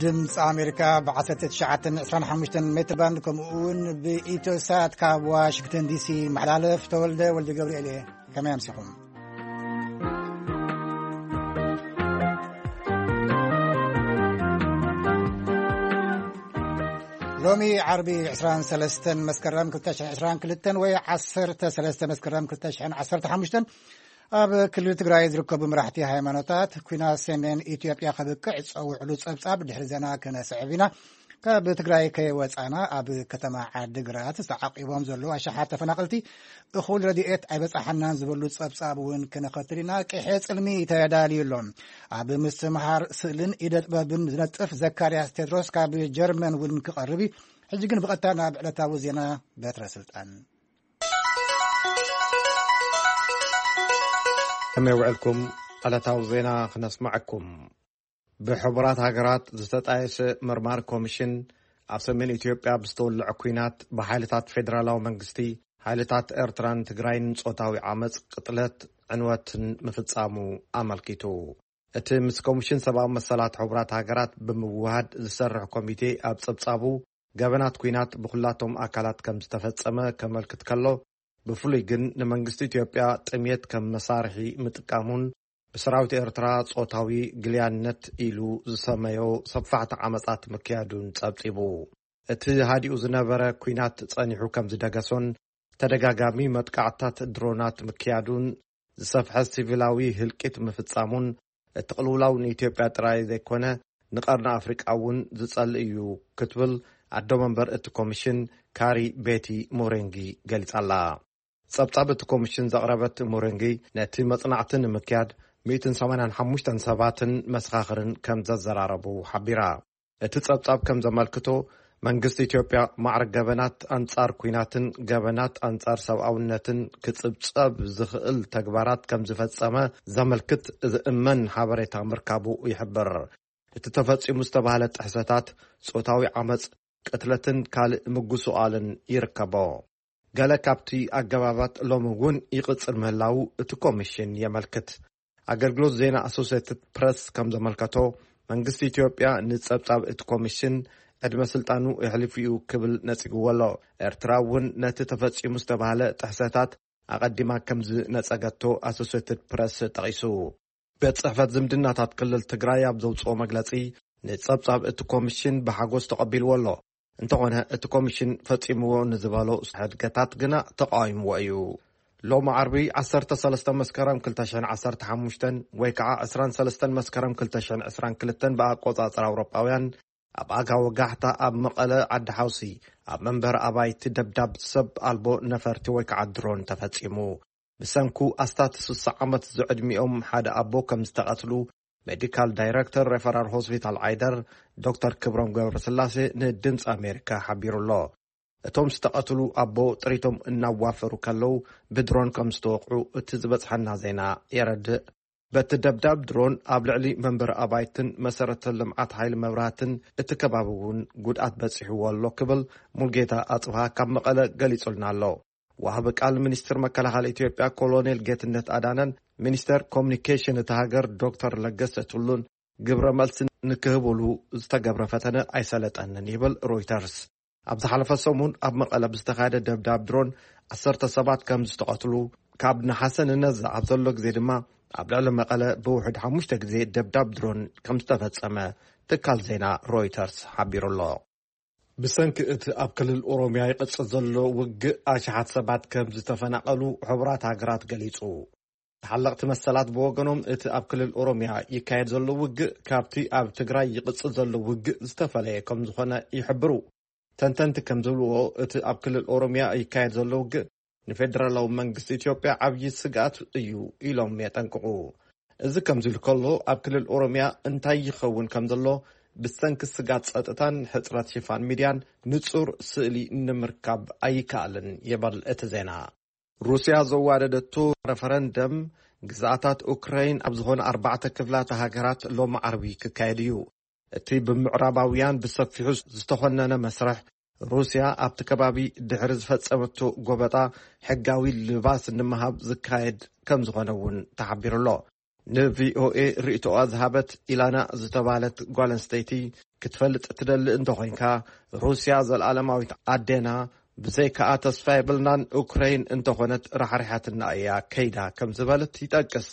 ድምፂ ኣሜሪካ ብ ዓሰርተ ትሽዓተ ዕስራን ሓሙሽተን ሜትር ባንድ፣ ከምኡ እውን ብኢትዮ ሳት ካብ ዋሽንግተን ዲሲ መሓላለፍ። ተወልደ ወልደ ገብርኤል እየ። ከመይ ኣምሲኹም? ሎሚ ዓርቢ ዕስራን ሰለስተን መስከረም ክልተ ሽሕን ዕስራን ክልተን ወይ ዓሰርተ ሰለስተ መስከረም ክልተ ሽሕን ዓሰርተ ሓሙሽተን፣ ኣብ ክልል ትግራይ ዝርከቡ መራሕቲ ሃይማኖታት፣ ኲናት ሰሜን ኢትዮጵያ ከብቅዕ ዝጸውዕሉ ጸብጻብ ድሕሪ ዜና ክነስዕብ ኢና። ካብ ትግራይ ከይወጻና፣ ኣብ ከተማ ዓዲግራት ዝተዓቂቦም ዘለዉ ኣሽሓት ተፈናቐልቲ፣ እኹል ረድኤት ኣይበጻሓናን ዝበሉ ጸብጻብ እውን ክነኸትል ኢና። ቅሐ ጽልሚ ተዳልዩ ኣሎ። ኣብ ምስትምሃር ስእልን ኢደ ጥበብን ዝነጥፍ ዘካርያስ ቴድሮስ ካብ ጀርመን እውን ክቐርብ እዩ። ሕጂ ግን ብቐጥታ ናብ ዕለታዊ ዜና። በትረ ስልጣን። ከመይ ውዕልኩም? ዕለታዊ ዜና ክነስምዐኩም። ብሕቡራት ሃገራት ዝተጣየሰ መርማሪ ኮሚሽን፣ ኣብ ሰሜን ኢትዮጵያ ብዝተወልዐ ኲናት ብሓይልታት ፌደራላዊ መንግስቲ፣ ሓይልታት ኤርትራን ትግራይን ጾታዊ ዓመጽ፣ ቅጥለት፣ ዕንወትን ምፍጻሙ ኣመልኪቱ። እቲ ምስ ኮሚሽን ሰብኣዊ መሰላት ሕቡራት ሃገራት ብምውሃድ ዝሰርሕ ኮሚቴ ኣብ ጸብጻቡ፣ ገበናት ኲናት ብኹላቶም ኣካላት ከም ዝተፈጸመ ከመልክት ከሎ፣ ብፍሉይ ግን ንመንግስቲ ኢትዮጵያ ጥሜት ከም መሳርሒ ምጥቃሙን ብሰራዊት ኤርትራ ጾታዊ ግልያነት ኢሉ ዝሰመዮ ሰፋሕቲ ዓመጻት ምክያዱን ጸብጺቡ። እቲ ሃዲኡ ዝነበረ ኲናት ጸኒሑ ከም ዝደገሶን ተደጋጋሚ መጥቃዕታት ድሮናት ምክያዱን ዝሰፍሐ ሲቪላዊ ህልቂት ምፍጻሙን፣ እቲ ቅልውላው ንኢትዮጵያ ጥራይ ዘይኮነ ንቀርኒ ኣፍሪቃ እውን ዝጸልእ እዩ ክትብል ኣዶ መንበር እቲ ኮሚሽን ካሪ ቤቲ ሞሬንጊ ገሊጻ ኣላ። ጸብጻብ እቲ ኮሚሽን ዘቕረበት ሞሬንጊ፣ ነቲ መጽናዕቲ ንምክያድ ሚእትን ሰማንያን ሓሙሽተን ሰባትን መሰኻኽርን ከም ዘዘራረቡ ሓቢራ። እቲ ጸብጻብ ከም ዘመልክቶ፣ መንግስቲ ኢትዮጵያ ማዕረ ገበናት ኣንጻር ኲናትን ገበናት ኣንጻር ሰብኣውነትን ክጽብጸብ ዝኽእል ተግባራት ከም ዝፈጸመ ዘመልክት ዝእመን ሓበሬታ ምርካቡ ይሕብር። እቲ ተፈጺሙ ዝተባህለ ጥሕሰታት ጾታዊ ዓመጽ፣ ቅትለትን ካልእ ምጉስቓልን ይርከቦ። ገለ ካብቲ ኣገባባት ሎሚ እውን ይቕጽል ምህላዉ እቲ ኮሚሽን የመልክት። ኣገልግሎት ዜና ኣሶሴትድ ፕረስ ከም ዘመልከቶ፣ መንግስቲ ኢትዮጵያ ንጸብጻብ እቲ ኮሚሽን ዕድመ ስልጣኑ የሕሊፉ እዩ ክብል ነጺግዎ ኣሎ። ኤርትራ እውን ነቲ ተፈጺሙ ዝተባህለ ጥሕሰታት ኣቐዲማ ከም ዝነጸገቶ ኣሶሴትድ ፕረስ ጠቒሱ። ቤት ጽሕፈት ዝምድናታት ክልል ትግራይ ኣብ ዘውጽኦ መግለጺ፣ ንጸብጻብ እቲ ኮሚሽን ብሓጎስ ተቐቢልዎ ኣሎ። እንተኾነ፣ እቲ ኮሚሽን ፈጺምዎ ንዝበሎ ሕድገታት ግና ተቃዊምዎ እዩ። ሎሚ ዓርቢ ዓሰርተ ሰለስተ መስከረም ክልተ ሽሕን ዓሰርተ ሓሙሽተን ወይ ከዓ ዕስራን ሰለስተን መስከረም ክልተ ሽሕን ዕስራን ክልተን ብኣቆጻጽራ ኣውሮጳውያን፣ ኣብ ኣጋ ወጋሕታ ኣብ መቐለ ዓዲ ሓውሲ፣ ኣብ መንበሪ ኣባይቲ ደብዳብ ሰብ ኣልቦ ነፈርቲ ወይ ከዓ ድሮን ተፈጺሙ። ብሰንኩ ኣስታት ስሳ ዓመት ዝዕድሚኦም ሓደ ኣቦ ከም ዝተቐትሉ፣ ሜዲካል ዳይረክተር ሬፈራል ሆስፒታል ዓይደር፣ ዶክተር ክብሮም ገብረስላሴ፣ ንድምፂ ኣሜሪካ ሓቢሩ ኣሎ። እቶም ዝተቐትሉ ኣቦ ጥሪቶም እናዋፈሩ ከለዉ ብድሮን ከም ዝተወቕዑ እቲ ዝበፅሐና ዜና የረድእ። በቲ ደብዳብ ድሮን ኣብ ልዕሊ መንበሪ ኣባይትን መሰረተ ልምዓት ሓይሊ መብራህትን እቲ ከባቢ እውን ጉድኣት በፂሕዎ ኣሎ ክብል ሙልጌታ ኣፅብሃ ካብ መቐለ ገሊጹልና ኣሎ። ወሃቢ ቃል ሚኒስትር መከላኸሊ ኢትዮጵያ ኮሎኔል ጌትነት ኣዳነን ሚኒስተር ኮሚኒኬሽን እታ ሃገር ዶክተር ለገሰ ቱሉን ግብረ መልሲ ንክህብሉ ዝተገብረ ፈተነ ኣይሰለጠንን ይብል ሮይተርስ። ኣብ ዝሓለፈ ሰሙን ኣብ መቐለ ብዝተኻየደ ደብዳብ ድሮን ዓሰርተ ሰባት ከም ዝተቐትሉ፣ ካብ ነሓሰ ንነዘ ኣብ ዘሎ ግዜ ድማ ኣብ ልዕሊ መቐለ ብውሕድ ሓሙሽተ ግዜ ደብዳብ ድሮን ከም ዝተፈጸመ ትካል ዜና ሮይተርስ ሓቢሩ ኣሎ። ብሰንኪ እቲ ኣብ ክልል ኦሮምያ ይቕጽል ዘሎ ውግእ ኣሽሓት ሰባት ከም ዝተፈናቐሉ ሕቡራት ሃገራት ገሊጹ። ተሓለቕቲ መሰላት ብወገኖም፣ እቲ ኣብ ክልል ኦሮምያ ይካየድ ዘሎ ውግእ ካብቲ ኣብ ትግራይ ይቕጽል ዘሎ ውግእ ዝተፈለየ ከም ዝኾነ ይሕብሩ። ተንተንቲ ከም ዝብልዎ፣ እቲ ኣብ ክልል ኦሮምያ ይካየድ ዘሎ ውግእ ንፌደራላዊ መንግስቲ ኢትዮጵያ ዓብዪ ስግኣት እዩ ኢሎም የጠንቅቑ። እዚ ከምዚ ኢሉ ከሎ፣ ኣብ ክልል ኦሮምያ እንታይ ይኸውን ከም ዘሎ ብሰንኪ ስግኣት ጸጥታን ሕጽረት ሽፋን ሚድያን ንጹር ስእሊ ንምርካብ ኣይከኣልን ይብል እቲ ዜና። ሩስያ ዘዋደደቶ ረፈረንደም፣ ግዝኣታት ኡክራይን ኣብ ዝኾነ ኣርባዕተ ክፍላተ ሃገራት ሎሚ ዓርቢ ክካየድ እዩ። እቲ ብምዕራባውያን ብሰፊሑ ዝተኾነነ መስርሕ፣ ሩስያ ኣብቲ ከባቢ ድሕሪ ዝፈጸመቶ ጎበጣ ሕጋዊ ልባስ ንምሃብ ዝካየድ ከም ዝኾነ እውን ተሓቢሩ ኣሎ። ንቪኦኤ ርእይቶኣ ዝሃበት ኢላና ዝተባህለት ጓል ኣንስተይቲ፣ ክትፈልጥ ትደሊ እንተኾይንካ፣ ሩስያ ዘልኣለማዊት ኣዴና፣ ብዘይከኣ ተስፋ የብልናን፣ ኡክረይን እንተኾነት ራሕሪሓትና እያ ከይዳ ከም ዝበለት ይጠቅስ።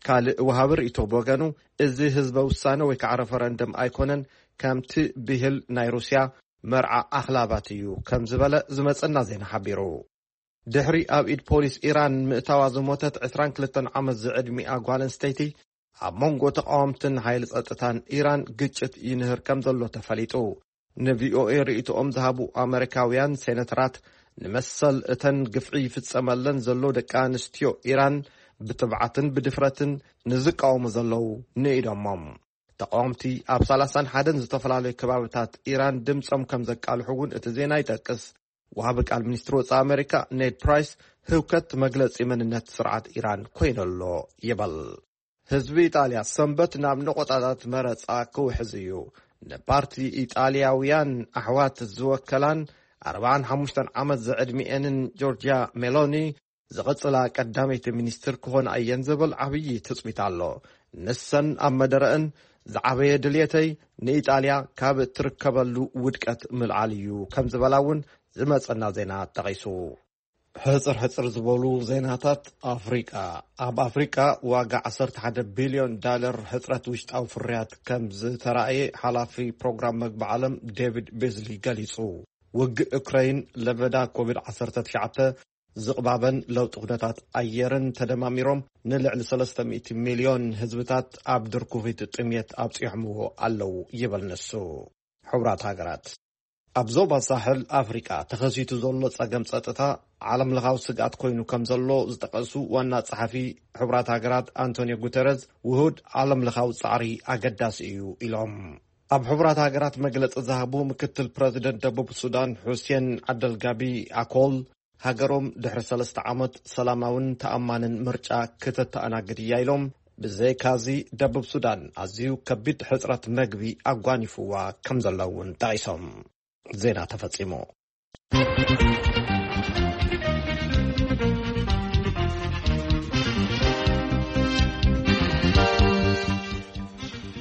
ካልእ ወሃቢ ርእይቶ ብወገኑ፣ እዚ ህዝበ ውሳነ ወይ ከዓ ረፈረንደም ኣይኮነን፣ ከምቲ ብሂል ናይ ሩስያ መርዓ ኣኽላባት እዩ ከም ዝበለ ዝመጸና ዜና ሓቢሩ። ድሕሪ ኣብ ኢድ ፖሊስ ኢራን ምእታዋ ዝሞተት ዕስራን ክልተን ዓመት ዝዕድሚኣ ጓል ኣንስተይቲ፣ ኣብ መንጎ ተቃወምትን ሓይሊ ጸጥታን ኢራን ግጭት ይንህር ከም ዘሎ ተፈሊጡ። ንቪኦኤ ርእይቶኦም ዝሃቡ ኣመሪካውያን ሴነተራት፣ ንመሰል እተን ግፍዒ ይፍጸመለን ዘሎ ደቂ ኣንስትዮ ኢራን ብትብዓትን ብድፍረትን ንዝቃወሙ ዘለዉ ንኢዶሞም። ተቃወምቲ ኣብ ሰላሳን ሓደን ዝተፈላለዩ ከባብታት ኢራን ድምጾም ከም ዘቃልሑ እውን እቲ ዜና ይጠቅስ። ወሃቢ ቃል ሚኒስትሪ ወጻኢ ኣመሪካ ኔድ ፕራይስ፣ ህውከት መግለጺ መንነት ስርዓት ኢራን ኮይነሎ ይበል። ህዝቢ ኢጣልያ ሰንበት ናብ ነቆጣታት መረጻ ክውሕዝ እዩ። ንፓርቲ ኢጣልያውያን ኣሕዋት ዝወከላን ኣርባዓን ሓሙሽተን ዓመት ዝዕድሚኤንን ጆርጅያ ሜሎኒ ዝቕጽላ ቀዳመይቲ ሚኒስትር ክኾና እየን ዝብል ዓብዪ ትጽቢት ኣሎ። ንሰን ኣብ መደረእን፣ ዝዓበየ ድልየተይ ንኢጣልያ ካብ እትርከበሉ ውድቀት ምልዓል እዩ ከም ዝበላ እውን ዝመጸና ዜና ጠቒሱ። ሕጽር ሕጽር ዝበሉ ዜናታት ኣፍሪቃ። ኣብ ኣፍሪቃ ዋጋ ዓሰርተ ሓደ ቢልዮን ዳለር ሕጽረት ውሽጣዊ ፍርያት ከም ዝተራእየ ሓላፊ ፕሮግራም መግቢ ዓለም ዴቪድ ቤዝሊ ገሊጹ። ውግእ ዩክረይን፣ ለበዳ ኮቪድ ዓሰርተ ትሽዓተ፣ ዝቕባበን ለውጢ ኩነታት ኣየርን ተደማሚሮም ንልዕሊ ሰለስተ ሚእቲ ሚልዮን ህዝብታት ኣብ ድርኩኺት ጥምየት ኣብጺሖምዎ ኣለዉ ይብል ንሱ። ሕቡራት ሃገራት። ኣብ ዞባ ሳሕል ኣፍሪቃ ተኸሲቱ ዘሎ ጸገም ጸጥታ ዓለምለኻዊ ስግኣት ኮይኑ ከም ዘሎ ዝጠቐሱ ዋና ጸሓፊ ሕቡራት ሃገራት ኣንቶኒዮ ጉተረዝ፣ ውሁድ ዓለምለኻዊ ጻዕሪ ኣገዳሲ እዩ ኢሎም። ኣብ ሕቡራት ሃገራት መግለጺ ዝሃቡ ምክትል ፕረዚደንት ደቡብ ሱዳን ሑሴን ዓደልጋቢ ኣኮል፣ ሃገሮም ድሕሪ ሰለስተ ዓመት ሰላማውን ተኣማንን ምርጫ ክተተኣናግድ እያ ኢሎም። ብዘይካዚ፣ ደቡብ ሱዳን ኣዝዩ ከቢድ ሕጽረት መግቢ ኣጓኒፍዋ ከም ዘሎ እውን ጠቒሶም። ዜና ተፈጺሙ።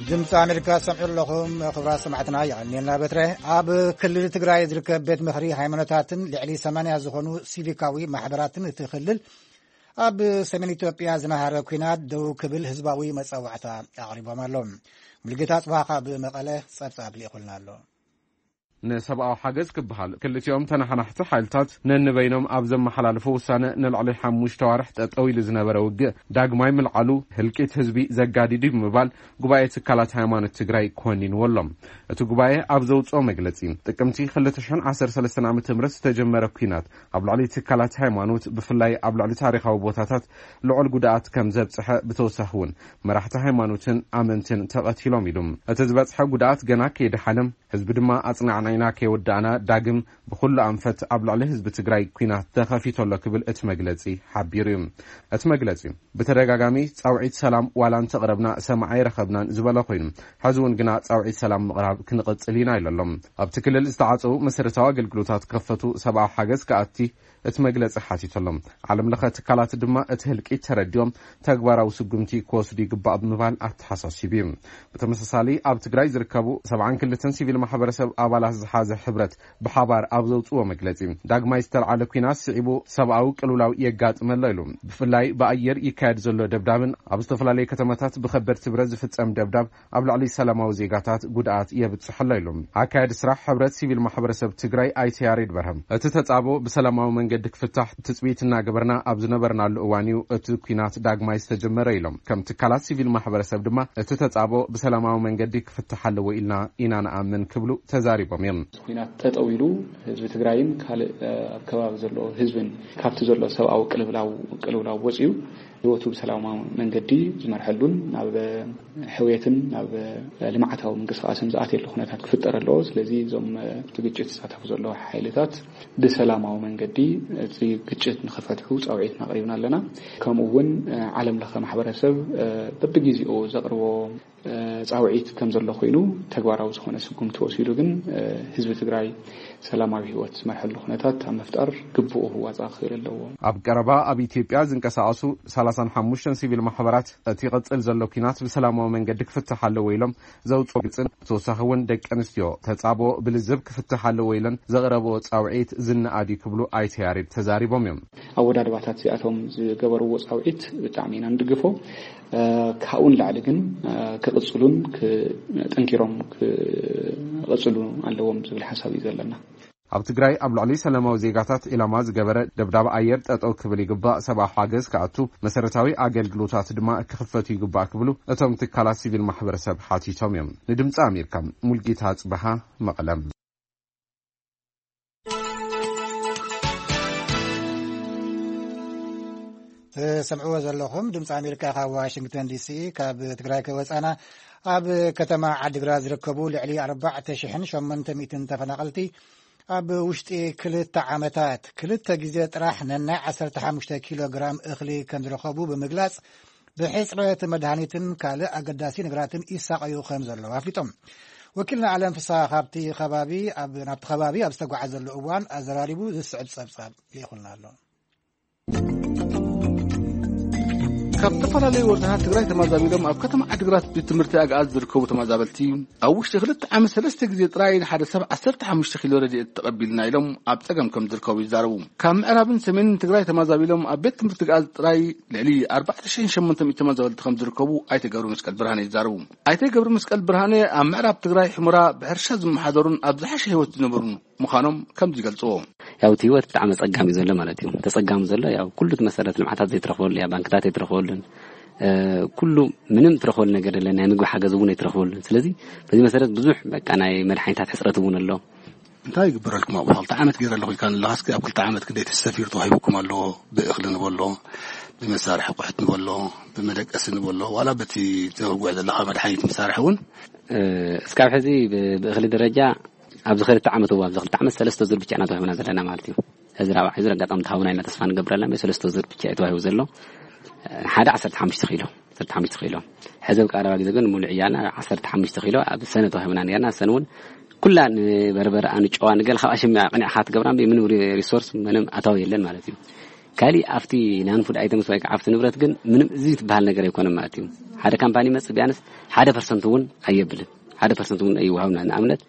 ድምፂ ኣሜሪካ ሰምዑ ኣለኹም። ክቡራት ሰማዕትና፣ የቐንየልና በትረ። ኣብ ክልል ትግራይ ዝርከብ ቤት ምኽሪ ሃይማኖታትን ልዕሊ ሰማንያ ዝኾኑ ሲቪካዊ ማሕበራትን እቲ ክልል ኣብ ሰሜን ኢትዮጵያ ዝናሃረ ኲናት ደው ክብል ህዝባዊ መፀዋዕታ ኣቕሪቦም ኣሎ። ሙልጌታ ጽባህ ካብ መቐለ ጸብጻብ ልኢኹልና ኣሎ። ንሰብኣዊ ሓገዝ ክበሃል ክልቲኦም ተነሓናሕቲ ሓይልታት ነንበይኖም ኣብ ዘመሓላልፎ ውሳነ፣ ንልዕሊ ሓሙሽተ ዋርሕ ጠጠው ኢሉ ዝነበረ ውግእ ዳግማይ ምልዓሉ፣ ህልቂት ህዝቢ ዘጋዲድ እዩ ብምባል ጉባኤ ትካላት ሃይማኖት ትግራይ ኮኒንዎ ኣሎ። እቲ ጉባኤ ኣብ ዘውፅኦ መግለፂ፣ ጥቅምቲ ክልተ ሽሕን ዓሰርተ ሰለስተን ዓመተ ምህረት ዝተጀመረ ኲናት ኣብ ልዕሊ ትካላት ሃይማኖት፣ ብፍላይ ኣብ ልዕሊ ታሪኻዊ ቦታታት ልዑል ጉድኣት ከም ዘብፅሐ፣ ብተወሳኺ እውን መራሕቲ ሃይማኖትን ኣመንትን ተቐቲሎም ኢሉ። እቲ ዝበፅሐ ጉድኣት ገና ከይደሓነ፣ ህዝቢ ድማ ኣጽናዕናዕና ከይወዳእና ዳግም ብኹሉ ኣንፈት ኣብ ልዕሊ ህዝቢ ትግራይ ኲናት ተኸፊቱ ኣሎ ክብል እቲ መግለጺ ሓቢሩ እዩ። እቲ መግለጺ ብተደጋጋሚ ጻውዒት ሰላም ዋላ እንተቕረብና ሰማዒ ኣይረኸብናን ዝበለ ኮይኑ፣ ሕዚ እውን ግና ጻውዒት ሰላም ምቕራብ ክንቕጽል ኢና ኢሉ ኣሎ። ኣብቲ ክልል ዝተዓጸዉ መሰረታዊ ኣገልግሎታት ክኸፈቱ፣ ሰብኣዊ ሓገዝ ክኣቲ እቲ መግለጺ ሓቲቱ ኣሎ። ዓለም ለኸ ትካላት ድማ እቲ ህልቂት ተረዲኦም ተግባራዊ ስጉምቲ ክወስዱ ይግባእ ብምባል ኣተሓሳሲቡ እዩ። ብተመሳሳሊ ኣብ ትግራይ ዝርከቡ ሰብዓን ክልተን ሲቪል ማሕበረሰብ ኣባላት ዝሓዘ ሕብረት ብሓባር ኣብ ዘውፅዎ መግለፂ፣ ዳግማይ ዝተልዓለ ኲናት ስዒቡ ሰብኣዊ ቅልውላው የጋጥም ኣሎ ኢሉ። ብፍላይ ብኣየር ይካየድ ዘሎ ደብዳብን ኣብ ዝተፈላለዩ ከተማታት ብከበድቲ ብረት ዝፍፀም ደብዳብ ኣብ ልዕሊ ሰላማዊ ዜጋታት ጉድኣት የብፅሕ ኣሎ ኢሉ። ኣካያዲ ስራሕ ሕብረት ሲቪል ማሕበረሰብ ትግራይ ኣይተ ያሬድ በርሀ፣ እቲ ተፃቦ ብሰላማዊ መንገዲ ክፍታሕ ትፅቢት እናገበርና ኣብ ዝነበርናሉ እዋን እዩ እቲ ኲናት ዳግማይ ዝተጀመረ ኢሎም። ከም ትካላት ሲቪል ማሕበረሰብ ድማ እቲ ተፃቦ ብሰላማዊ መንገዲ ክፍታሕ ኣለዎ ኢልና ኢና ንኣምን ክብሉ ተዛሪቦም እዮም። ኲናት ጠጠው ኢሉ ህዝቢ ትግራይን ካልእ ኣብ ከባቢ ዘሎ ህዝብን ካብቲ ዘሎ ሰብኣዊ ቅልውላው ቅልውላው ወፂኡ ህይወቱ ብሰላማዊ መንገዲ ዝመርሐሉን ናብ ሕውየትን ናብ ልምዓታዊ ምንቅስቃስን ዝኣትየሉ ኩነታት ክፍጠር ኣለዎ። ስለዚ እዞም እቲ ግጭት ዝሳተፉ ዘለዉ ሓይልታት ብሰላማዊ መንገዲ እቲ ግጭት ንክፈትሑ ፃውዒትና ኣቕሪብና ኣለና። ከምኡ እውን ዓለም ለኸ ማሕበረሰብ በብግዜኡ ዘቕርቦ ጻውዒት ከም ዘሎ ኮይኑ፣ ተግባራዊ ዝኾነ ስጉምቲ ወሲዱ ግን ህዝቢ ትግራይ ሰላማዊ ህይወት ዝመርሐሉ ኩነታት ኣብ ምፍጣር ግቡኡ ክዋፃእ ክኽእል ኣለዎ። ኣብ ቀረባ ኣብ ኢትዮጵያ ዝንቀሳቐሱ ሰላሳን ሓሙሽተን ሲቪል ማሕበራት እቲ ይቕጽል ዘሎ ኲናት ብሰላማዊ መንገዲ ክፍትሕ ኣለዎ ኢሎም ዘውፅኦ ግልፅን፣ ብተወሳኺ እውን ደቂ ኣንስትዮ ተፃቦ ብልዝብ ክፍትሕ ኣለዎ ኢለን ዘቕረብኦ ፃውዒት ዝነኣድ እዩ ክብሉ ኣይተ ያሬድ ተዛሪቦም እዮም። ኣወዳድባታት እዚኣቶም ዝገበርዎ ፃውዒት ብጣዕሚ ኢና ንድግፎ። ካብኡ ንላዕሊ ግን ክቕፅሉን ጠንኪሮም ክቐፅሉ ኣለዎም ዝብል ሓሳብ እዩ ዘለና። ኣብ ትግራይ ኣብ ልዕሊ ሰላማዊ ዜጋታት ኢላማ ዝገበረ ደብዳብ ኣየር ጠጠው ክብል ይግባእ፣ ሰብኣዊ ሓገዝ ክኣቱ፣ መሰረታዊ ኣገልግሎታት ድማ ክኽፈቱ ይግባእ ክብሉ እቶም ትካላት ሲቪል ማሕበረሰብ ሓቲቶም እዮም። ንድምፂ ኣሜሪካ፣ ሙልጌታ ኣፅበሃ፣ መቐለም። ትሰምዕዎ ዘለኹም ድምፂ ኣሜሪካ ካብ ዋሽንግተን ዲሲ። ካብ ትግራይ ከወፃና፣ ኣብ ከተማ ዓዲግራት ዝርከቡ ልዕሊ ኣርባዕተ ሽሕን ሸሞንተ ሚእትን ተፈናቐልቲ ኣብ ውሽጢ ክልተ ዓመታት ክልተ ግዜ ጥራሕ ነናይ ዓሰርተ ሓሙሽተ ኪሎ ግራም እኽሊ ከም ዝረኸቡ ብምግላፅ፣ ብሕፅረት መድሃኒትን ካልእ ኣገዳሲ ነገራትን ይሳቐዩ ከም ዘለዉ ኣፍሊጦም። ወኪልና ኣለም ፍስሃ ካብቲ ከባቢ ኣብ ናብቲ ከባቢ ኣብ ዝተጓዓዘሉ እዋን ኣዘራሪቡ ዝስዕብ ፀብፃብ ልኢኹልና ኣሎ። ካብ ዝተፈላለዩ ወረዳታት ትግራይ ተመዛቢሎም ኣብ ከተማ ዓዲግራት ቤት ትምህርቲ ኣግኣዝ ዝርከቡ ተመዛበልቲ፣ ኣብ ውሽጢ ክልተ ዓመት ሰለስተ ግዜ ጥራይ ንሓደ ሰብ ዓሰርተ ሓሙሽተ ኪሎ ረድኤት ተቐቢልና ኢሎም ኣብ ጸገም ከም ዝርከቡ ይዛረቡ። ካብ ምዕራብን ሰሜንን ትግራይ ተመዛቢሎም ኣብ ቤት ትምህርቲ ኣግኣዝ ጥራይ ልዕሊ ኣርባዕተ ሽሕን ሸሞንተ ሚእትን ተመዛበልቲ ከም ዝርከቡ ኣይተ ገብረ መስቀል ብርሃነ ይዛረቡ። ኣይተ ገብረ መስቀል ብርሃነ ኣብ ምዕራብ ትግራይ ሑመራ ብሕርሻ ዝመሓደሩን ኣብ ዝሓሸ ህይወት ዝነበሩን ምዃኖም ከምዚ ይገልጽዎ። ያው እቲ ህይወት ብጣዕሚ ኣጸጋሚ እዩ ዘሎ ማለት እዩ። ተጸጋሚ ዘሎ ያው ኩሉ እቲ መሰረተ ልምዓታት ዘይትረኽበሉ እያ፣ ባንክታት ኣይትረኽበሉን፣ ኩሉ ምንም ትረኽበሉ ነገር የለን፣ ናይ ምግቢ ሓገዝ እውን ኣይትረኽበሉን። ስለዚ በዚ መሰረት ብዙሕ በቃ ናይ መድሓኒታት ሕፅረት እውን ኣሎ። እንታይ ይግበረልኩም ኣብኡ? ክልተ ዓመት ገይረ ኣለኹ ኢልካ ኣለኻ። እስኪ ኣብ ክልተ ዓመት ክንደይ ተሰፊሩ ተዋሂቡኩም ኣሎ? ብእኽሊ ንበሎ፣ ብመሳርሒ ቁሕት ንበሎ፣ ብመደቀሲ ንበሎ፣ ዋላ በቲ ተወግዕ ዘለኻ መድሓኒት መሳርሒ እውን እስካብ ሕዚ ብእኽሊ ደረጃ ኣብዚ ክልተ ዓመት እዋ ኣብዚ ክልተ ዓመት ሰለስተ ዙር ብቻ ኢና ተዋሂብና ዘለና ማለት እዩ። ሕዚ ራብዓይ ዙር ኣጋጣሚ ተሃቡና ኢና ተስፋ ንገብረላ እምበር ሰለስተ ዙር ብቻ እዩ ተዋሂቡ ዘሎ። ሓደ ዓሰርተ ሓሙሽተ ኪሎ፣ ዓሰርተ ሓሙሽተ ኪሎ። ሕዚ ኣብ ቀረባ ግዜ ግን ሙሉእ ዕያና ዓሰርተ ሓሙሽተ ኪሎ ኣብ ሰነ ተዋሂብና ነርና። ሰነ እውን ኩላ ንበርበረ ኣንጨዋ ንገለ ካብ ኣሸሚያ ቅኒዕካ ትገብራ እምበር ምንም ሪሶርስ ምንም ኣታዊ የለን ማለት እዩ። ካሊእ ኣብቲ ናንፉድ ኣይተምስ ወይ ከዓ ኣብቲ ንብረት ግን ምንም እዚ ትበሃል ነገር ኣይኮነን ማለት እዩ። ሓደ ካምፓኒ መጽእ ቢያንስ ሓደ ፐርሰንት እውን ኣየብልን። ሓደ ፐርሰንት እውን ኣይወሃብና። ንኣብነት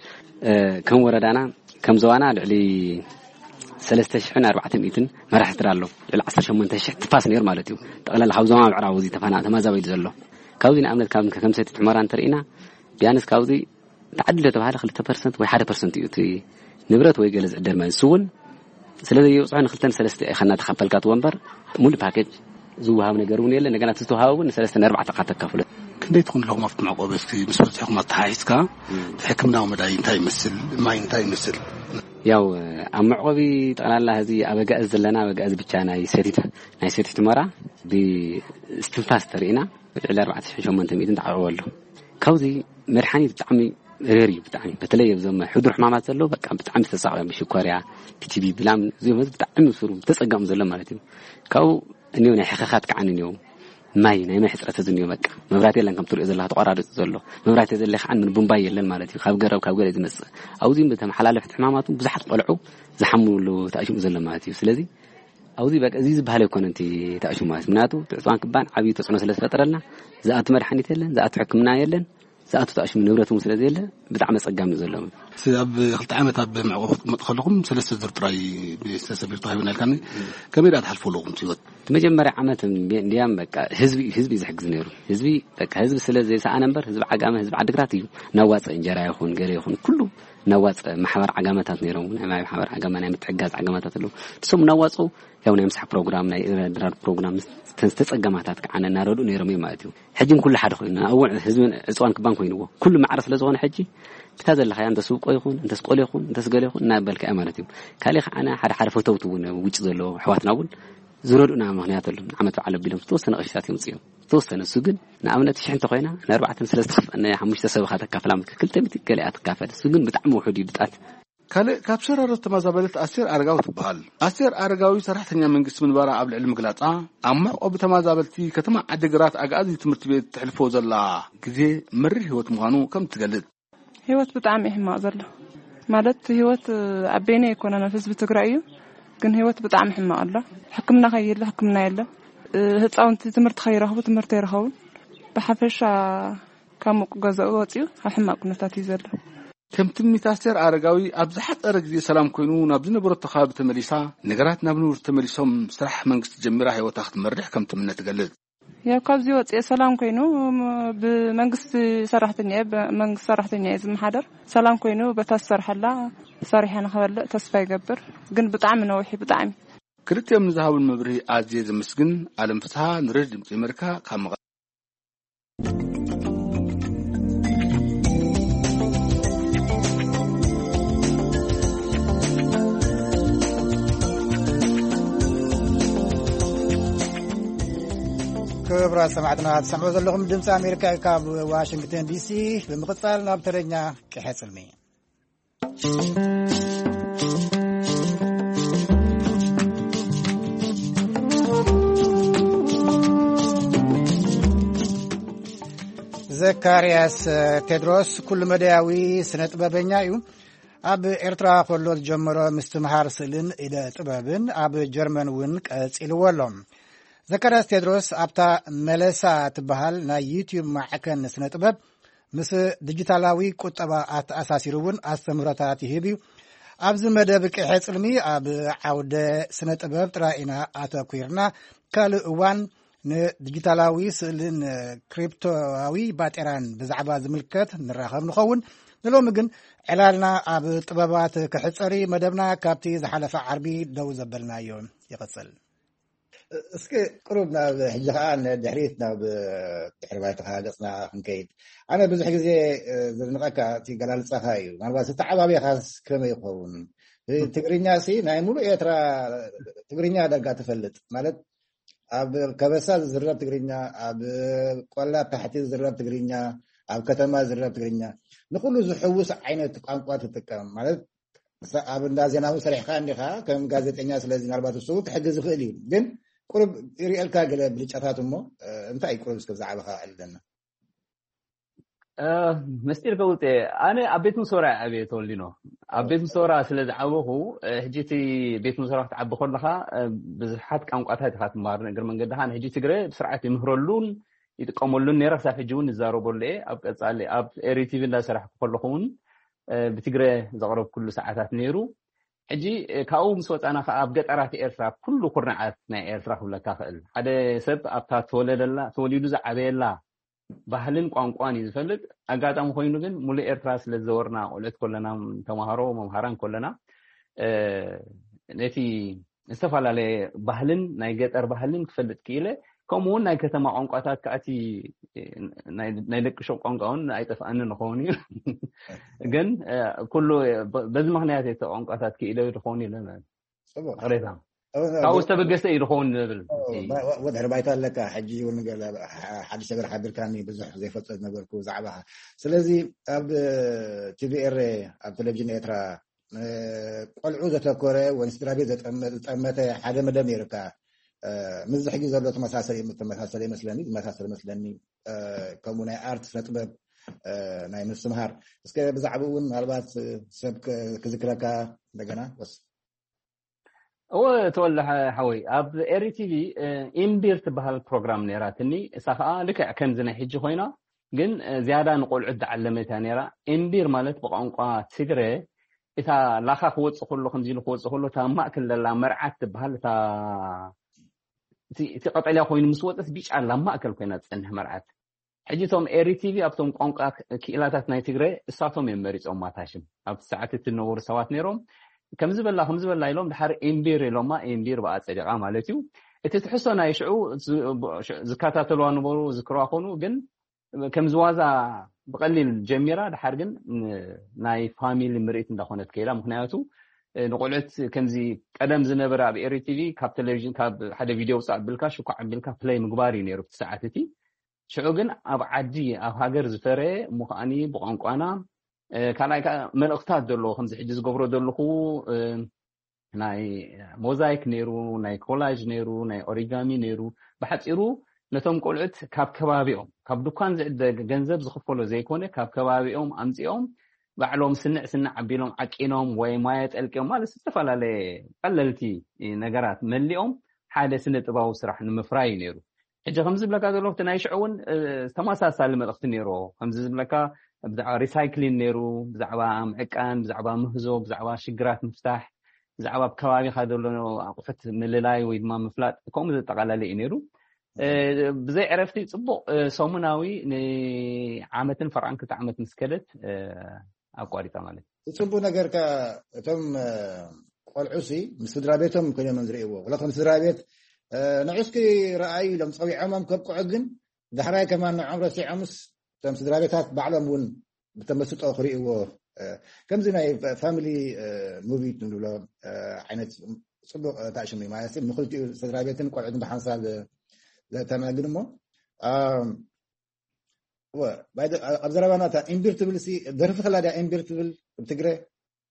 ከም ወረዳና ከም ዞባና ልዕሊ ሰለስተ ሽሕን ኣርባዕተ ሚእትን መራሒ ስድራ ኣሎ። ልዕሊ ዓሰርተ ሸሞንተ ሽሕ ትፋስ ነይሩ ማለት እዩ። ጠቕላላ ካብ ዞባ ምዕራብ እዚ ተፋና ተማዛበይሉ ዘሎ ካብዚ ንኣብነት ካብ ከም ሰቲት ሑመራ እንተርኢና ቢያንስ ካብዚ ተዓዲለ ተባሃለ ክልተ ፐርሰንት ወይ ሓደ ፐርሰንት እዩ እቲ ንብረት ወይ ገለ ዝዕደል ማለት እሱ እውን ስለ ዘየብፅሖ ንክልተን ሰለስተ ኢኻ እናተኻፈልካ ትወንበር ሙሉ ፓኬጅ ዝወሃብ ነገር እውን የለ። እንደገና እቲ ዝተወሃበ እውን ንሰለስተ ንኣርባዕተ ኢኻ ተካፍሎ። ክንደይ ትኾኑ ኣለኹም ኣብቲ መዕቆቢ እስኪ ምስ በፅሕኹም ኣተሓሒዝካ እቲ ሕክምናዊ መዳይ እንታይ ይመስል ማይ እንታይ ይመስል? ያው ኣብ መዕቆቢ ጠቕላላ ህዚ ኣብ ኣጋእዝ ዘለና ኣብ ኣጋእዝ ብቻ ናይ ሰቲት ናይ ሰቲት ሑመራ ብስትንፋስ ተርኢና ልዕሊ ኣርባዕተ ሽሕን ሸሞንተ ሚእትን ተዓቕቦ ኣሎ። ካብዚ መድሓኒት ብጣዕሚ ሬር እዩ። ብጣዕሚ በተለይ ኣብዞም ሕዱር ሕማማት ዘለዉ በቃ ብጣዕሚ ዝተሳቐ ብሽኮርያ ብቲቢ ብላም እዚኦም ህዝቢ ብጣዕሚ ስሩ ተፀጋሙ ዘሎ ማለት እዩ። ካብኡ እኒው ናይ ሕኸኻት ከዓ እኒው ማይ ናይ ማይ ሕፅረት እዚ እኒው በቃ መብራት የለን ከም ትሪኦ ዘለካ ተቋራሪፁ ዘሎ መብራት የዘለ ከዓ ምን ቡምባይ የለን ማለት እዩ። ካብ ገረብ ካብ ገለ ዝመፅእ ኣብዚ ብተመሓላለፍቲ ሕማማት እውን ብዙሓት ቆልዑ ዝሓምሉ ተኣሽሙ ዘሎ ማለት እዩ። ስለዚ ኣብዚ በቃ እዚ ዝበሃል ኣይኮነን እቲ ተኣሽሙ ማለት ምክንያቱ ትዕፅዋን ክባን ዓብዪ ተፅዕኖ ስለ ዝፈጠረልና ዝኣቱ መድሓኒት የለን ዝኣቱ ሕክምና የለን ዝኣቱ ተኣሽሙ ንብረት እውን ስለ ዘየለ ብጣዕሚ ኣፀጋሚ እዩ ዘሎ። ኣብ ክልተ ዓመት ኣብ መዕቆቢ ክትቅመጡ ከለኹም ሰለስተ ዙር ጥራይ ቤተሰብ ተዋሂብና ኢልካኒ ከመይ ደኣ ትሓልፉ ኣለኹም ህይወት? እቲ መጀመርያ ዓመት እንዲያም በቃ ህዝቢ ህዝቢ እዩ ዝሕግዝ ነይሩ። ህዝቢ በቃ ህዝቢ ስለ ዘይሰኣነ እምበር ህዝቢ ዓጋመ ህዝቢ ዓድግራት እዩ እናዋፀ እንጀራ ይኹን ገለ ይኹን ኩሉ እናዋፀ ማሕበር ዓጋመታት ነይሮም ናይ ማይ ማሕበር ዓጋመ ናይ ምትሕጋዝ ዓጋመታት ኣለዉ ንሶም እናዋፀው ያው ናይ ምሳሕ ፕሮግራም ናይ ድራር ፕሮግራም ዝተፀገማታት ከዓ እናረድኡ ነይሮም እዮም ማለት እዩ። ሕጂ ኩሉ ሓደ ኮይኑ ኣብኡ ህዝቢ ዕፅዋን ክባን ኮይንዎ ኩሉ ማዕረ ስለ ዝኾነ ሕጂ ብታ ዘለኻያ እንተስ ውቆ ይኹን እንተስ ቆሎ ይኹን እንተስ ገለ ይኹን እናበልካ እያ ማለት እዩ። ካሊእ ከዓ ሓደ ሓደ ፈተውቲ እውን ውጭ ዘለዎ ኣሕዋትና እውን ዝረድኡና ምክንያት ኣሎ። ንዓመት በዓል ኣቢሎም ዝተወሰነ ቅርሽታት የምፅኡ እዮም። ዝተወሰነ እሱ ግን ንኣብነት ሽሕ እንተኮይና ንኣርባዕተን ስለዝተኸፍአና ሓሙሽተ ሰብ ኢኻ ተካፍላ ክልተ ሚእቲ ገለ እያ ትካፈል። እሱ ግን ብጣዕሚ ውሑድ እዩ ብጣት ካልእ ካብ ሸራሮ ተመዛበለት ኣስቴር ኣረጋዊ ትበሃል። ኣስቴር ኣረጋዊ ሰራሕተኛ መንግስቲ ምንባራ ኣብ ልዕሊ ምግላጻ፣ ኣብ መዕቆቢ ተመዛበልቲ ከተማ ዓዲግራት ኣግኣዚ ትምህርቲ ቤት ተሕልፎ ዘላ ግዜ መሪር ህይወት ምዃኑ ከም ትገልጽ። ህይወት ብጣዕሚ እዩ ሕማቕ ዘሎ። ማለት ህይወት ኣብ በይነይ ኣይኮነን፣ ኣብ ህዝቢ ትግራይ እዩ። ግን ህይወት ብጣዕሚ ሕማቕ ኣሎ። ሕክምና ከይህሉ ሕክምና የለን። ህፃውንቲ ትምህርቲ ከይረኽቡ ትምህርቲ ኣይረኸቡን። ብሓፈሻ ካብ ሙቕ ገዛኡ ወፂኡ ኣብ ሕማቕ ኩነታት እዩ ዘሎ። ከም ትምኒት ኣስቴር ኣረጋዊ ኣብ ዝሓፀረ ግዜ ሰላም ኮይኑ ናብ ዝነበረቶ ከባቢ ተመሊሳ፣ ነገራት ናብ ንቡር ተመሊሶም ስራሕ መንግስቲ ጀሚራ ህይወታ ክትመርሕ ከም ትምነ ትገልጽ። ያው ካብዚ ወፂኤ ሰላም ኮይኑ፣ ም-፣ ብመንግስቲ ሰራሕተኛ እየ፣ ብመንግስቲ ሰራሕተኛ እየ ዝመሓደር። ሰላም ኮይኑ በታ ዝሰርሐላ ሰሪሐ ንኽበልዕ ተስፋ ይገብር። ግን ብጣዕሚ ነዊሕ እዩ፣ ብጣዕሚ። ክልቲኦም ንዝሃቡን መብርሂ ኣዝየ ዘመስግን። ኣለም ፍስሃ ንሬድዮ ድምፂ ኣሜሪካ ካብ መቐለ። ክቡራት ሰማዕትና፣ ትሰምዑ ዘለኹም ድምፂ ኣሜሪካ እዩ፣ ካብ ዋሽንግተን ዲሲ። ብምቕፃል ናብ ተረኛ ቅሐ ፅልሚ። ዘካርያስ ቴድሮስ ኩሉ መዳያዊ ስነ ጥበበኛ እዩ። ኣብ ኤርትራ ከሎ ዝጀመሮ ምስትምሃር ስእልን ኢደ ጥበብን ኣብ ጀርመን እውን ቀጺልዎ ኣሎ። ዘካርያስ ቴድሮስ ኣብታ መለሳ ትበሃል ናይ ዩትዩብ ማዕከን ስነ ጥበብ ምስ ዲጂታላዊ ቁጠባ ኣተኣሳሲሩ እውን ኣስተምህሮታት ይህብ እዩ። ኣብዚ መደብ ቅሐ ጽልሚ ኣብ ዓውደ ስነ ጥበብ ጥራይ ኢና ኣተኲርና። ካልእ እዋን ንዲጂታላዊ ስእልን ክሪፕቶዊ ባጤራን ብዛዕባ ዝምልከት ንራኸብ ንኸውን። ንሎሚ ግን ዕላልና ኣብ ጥበባት ክሕጸር እዩ። መደብና ካብቲ ዝሓለፈ ዓርቢ ደው ዘበልናዮ ይቕጽል። እስኪ ቅሩብ ናብ ሕጂ ኸዓ ንድሕሪት ናብ ድሕሪ ባይታኻ ገጽና ክንከይድ። ኣነ ብዙሕ ግዜ፣ እ፣ ዝድንቐካ እቲ ገላልጻኻ እዩ። ምናልባት ዝተዓባብያኻስ ከመይ ይኸውን? እ፣ ትግርኛ ሲ ናይ ሙሉእ ኤርትራ ትግርኛ ዳርጋ ትፈልጥ ማለት ኣብ ከበሳ ዝዝረብ ትግርኛ፣ ኣብ ቆላ ታሕቲ ዝዝረብ ትግርኛ፣ ኣብ ከተማ ዝዝረብ ትግርኛ፣ ንኹሉ ዝሕውስ ዓይነት ቋንቋ ትጥቀም ማለት ሳ-፣ ኣብ እንዳ ዜና እውን ሰሪሕካ እንዲኻ ከም ጋዜጠኛ፣ ስለዚ ምናልባት እሱ እውን ክሕግዝ ይኽእል እዩ። ግን ቁሩብ ይርእየልካ ገለ ብልጫታት እሞ፣ እ፣ እንታይ እዩ ቁሩብ እስከ ብዛዕባኻ ኣዕልለና? እ፣ ምስጢር ከውፅእ፣ ኣነ ኣብ ቤት ምሶራ እየ ዓብየ ተወሊኖ። ኣብ ቤት ምሶራ ስለ ዝዓበኹ፣ እ፣ ሕጂ እቲ ቤት ምሶራ ክትዓቢ ከለኻ፣ እ፣ ብዙሓት ቋንቋታት ኢኻ ትመሃር። ንእግሪ መንገድኻ ንሕጂ ትግረ ብስርዓት ይምህረሉን ይጥቀመሉን ነይረ፣ ክሳብ ሕጂ እውን ይዛረበሉ እየ። ኣብ ቀጻሊ ኣብ ኤሪ ቲቪ እንዳሰራሕኩ ከለኹ እውን፣ እ፣ ብትግረ ዘቕረብኩሉ ሰዓታት ነይሩ። ሕጂ፣ እ፣ ካብኡ ምስ ወጻና ከኣ ኣብ ገጠራት ኤርትራ፣ ኣብ ኩሉ ኩርናዓት ናይ ኤርትራ ክብለካ ክእል፣ ሓደ ሰብ ኣብታ ተወለደላ፣ ተወሊዱ ዝዓበየላ ባህልን ቋንቋን እዩ ዝፈልጥ። ኣጋጣሚ ኮይኑ ግን ሙሉእ ኤርትራ ስለ ዝዘወርና፣ ቆልዑት ከለና፣ ተማሃሮ፣ መምሃራን ከለና፣ እ፣ ነቲ ዝተፈላለየ ባህልን ናይ ገጠር ባህልን ክፈልጥ ክኢለ። ከምኡ እውን ናይ ከተማ ቋንቋታት ከኣ እቲ ናይ፣ ናይ ደቂ ሸቕ ቋንቋ እውን ኣይጠፍኣንን ይኸውን እዩ። ግን፣ እ፣ ኩሉ በ-፣ በዚ ምኽንያት እቲ ቋንቋታት ክኢለ ዝኸውን ኢለ ጽቡቕ። ቅሬታ። እ፣ ካብኡ ብ-፣ ዝተበገሰ እዩ ዝኸውን ዝብል። እ፣ እቲ ባ-፣ ዋ-፣ ወድሕሪ ባይታ ኣለካ። ሕጂ እውን ገለ ሓ-፣ ሓድሽ ነገር ሓቢርካኒ፣ ብዙሕ ዘይፈልጦ ዝነበርኩ ብዛዕባኻ። ስለዚ ኣብ ቲቪ ኤረ፣ ኣብ ቴሌቪዥን ኤርትራ፣ እ፣ ቆልዑ ዘተኮረ ወይ ንስድራ ቤት ዘጠመ-፣ ዝጠመተ ሓደ መደብ ነይሩካ። እ፣ ምስዚ ሕጂ ዘሎ ተመሳሰለ፣ ተመሳሰለ ይመስለኒ፣ ዝመሳሰል ይመስለኒ። እ፣ ከምኡ ናይ ኣርት ስነ ጥበብ፣ እ፣ ናይ ምስትምሃር። እስከ ብዛዕባኡ እውን ምናልባት ሰብ ክ-፣ ክዝክረካ እንደገና ወስ። እወ፣ ተወልደ ሓ-፣ ሓወይ፣ ኣብ ኤሪ ቲቪ፣ እ፣ ኢምቢር ትበሃል ፕሮግራም ነይራትኒ። እሳ ኸኣ ልክዕ ከምዚ ናይ ሕጂ ኮይና፣ ግን፣ እ፣ ዝያዳ ንቆልዑት ዝዓለመት እያ ነይራ። ኢምቢር ማለት ብቋንቋ ትግረ፣ እታ ላኻ ክወጽእ ከሎ፣ ከምዚ ኢሉ ክወጽእ ከሎ፣ እታ ኣብ ማእከል ዘላ መርዓት ትበሃል፣ እታ፣ እቲ፣ እቲ ቀጠልያ ኮይኑ ምስ ወጸት፣ ብጫ ኣላ ኣብ ማእከል ኮይና ትጸንሕ መርዓት። ሕጂ እቶም ኤሪ ቲቪ ኣብቶም ቋንቋ ክ-፣ ክኢላታት ናይ ትግረ እሳቶም እዮም መሪጾም ማታ ሽም። ኣብቲ ሰዓት እቲ ዝነበሩ ሰባት ነይሮም። ከምዚ በላ፣ ከምዚ በላ ኢሎም፣ ድሓር ኤምቢር ኢሎማ፣ ኤምቢር ብኣ ጸዲቓ ማለት እዩ። እቲ ትሕዝቶ ናይ ሽዑ ዝ-፣ ብ-፣ ሽ-፣ ዝከታተልዋ ነበሩ፣ ዝክርዋ ኮኑ፣ ግን ከም ዝዋዛ ብቐሊል ጀሚራ፣ ድሓር ግን ን-፣ ናይ ፋሚሊ ምርኢት እንዳኾነት ከይዳ። ምኽንያቱ፣ እ፣ ንቆልዑት ከምዚ ቀደም ዝነበረ ኣብ ኤሪ ቲቪ ካብ ቴሌቪዥን፣ ካብ ሓደ ቪድዮ ውጻእ ኣቢልካ፣ ሽኳዕ ኣቢልካ ፕለይ ምግባር እዩ ነይሩ ኣብቲ ሰዓት እቲ። ሽዑ ግን ኣብ ዓዲ፣ ኣብ ሃገር ዝፈረየ እሞ ከኣኒ ብቋንቋና፣ ካልኣይ ከዓ መልእኽታት ዘለዎ ከምዚ ሕጂ ዝገብሮ ዘለኹ ናይ ሞዛይክ ነይሩ፣ ናይ ኮላጅ ነይሩ፣ ናይ ኦሪጋሚ ነይሩ። ብሓፂሩ ነቶም ቆልዑት ካብ ከባቢኦም፣ ካብ ድኳን ዝዕደግ ገንዘብ ዝኽፈሎ ዘይኮነ፣ ካብ ከባቢኦም ኣምፂኦም ባዕሎም ስንዕ ስንዕ ኣቢሎም ዓቂኖም ወይ ማየ ጠልቂዮም፣ ማለት ዝተፈላለየ ቀለልቲ ነገራት መሊኦም ሓደ ስነ ጥባዊ ስራሕ ንምፍራይ እዩ ነይሩ። ሕጂ ከምዚ ዝብለካ ዘለኹ እቲ ናይ ሽዑ እውን ተመሳሳሊ መልእኽቲ ነይርዎ። ከምዚ ዝብለካ ብዛዕባ ሪሳይክሊን ነይሩ፣ ብዛዕባ ምዕቃን፣ ብዛዕባ ምህዞ፣ ብዛዕባ ሽግራት ምፍታሕ፣ ብዛዕባ ኣብ ከባቢኻ ዘሎ ኣቑሑት ምልላይ ወይ ድማ ምፍላጥ፣ ከምኡ ዘጠቓለለ እዩ ነይሩ። ብዘይ ዕረፍቲ ጽቡቕ ሰሙናዊ ንዓመትን ፈርቓን ክልተ ዓመት ምስ ከደት ኣቋሪጻ ማለት እዩ። ጽቡቅ ነገር። እቶም ቆልዑ ሲ ምስ ስድራ ቤቶም ኮይኖም ዝርእይዎ፣ ወላ ከም ስድራ ቤት ንዑ እስኪ ረኣዩ ኢሎም ጸዊዖሞም ከብቅዑ፣ ግን ዳሕራይ ከማን ንዖም ረሲዖምስ እቶም ስድራ ቤታት ባዕሎም እውን ብተመስጦ ክርእይዎ፣ ከምዚ ናይ ፋሚሊ ሙቪ ንብሎ ዓይነት ጽቡቅ ታሽሙ ማለት ንክልቲኡ ስድራ ቤትን ቆልዑትን ብሓንሳብ ዘተናግድ እሞ ኣብ ዘረባና እታ እምቢር ትብል ሲ ደርፊ ከላ ድያ? እምቢር ትብል ብትግረ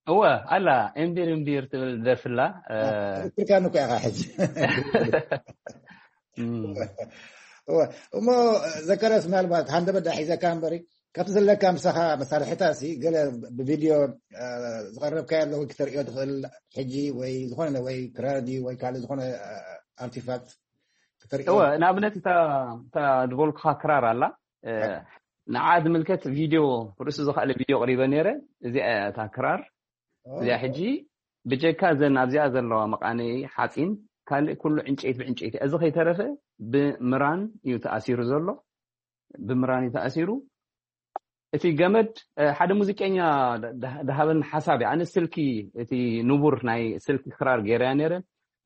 እወ ኣላ። እምቢር እምቢር ትብል ደርፍላ። ትርካ ንኮ ኢኻ ሕጂ። እሞ ዘካርያስ፣ ምናልባት ሃንደበት ዳ ሒዘካ እምበሪ ካብቲ ዘለካ ምሳኻ መሳርሕታ ሲ ገለ ብቪድዮ ዝቐረብካ ያለ ወይ ክተርእዮ ትኽእል ሕጂ ወይ ዝኾነ ወይ ክራር ድዩ ወይ ካልእ ዝኾነ ኣርቲፋክት ክተርእዮ? እወ፣ ንኣብነት እታ እታ ዝበልኩኻ ክራር ኣላ፣ ንዓ ዝምልከት ቪድዮ፣ ርእሱ ዝኸኣለ ቪድዮ ቅሪበ ነይረ። እዚኣ እያ እታ ክራር። እዚኣ ሕጂ ብጀካ ዘን ኣብዚኣ ዘለዋ መቃነይ ሓፂን፣ ካልእ ኩሉ ዕንጨይቲ ብዕንጨይቲ። እዚ ከይተረፈ ብምራን እዩ ተኣሲሩ ዘሎ። ብምራን እዩ ተኣሲሩ። እቲ ገመድ ሓደ ሙዚቀኛ ድሃበኒ ሓሳብ እዩ። ኣነ ስልኪ፣ እቲ ንቡር ናይ ስልኪ ክራር ገይረያ ነይረ።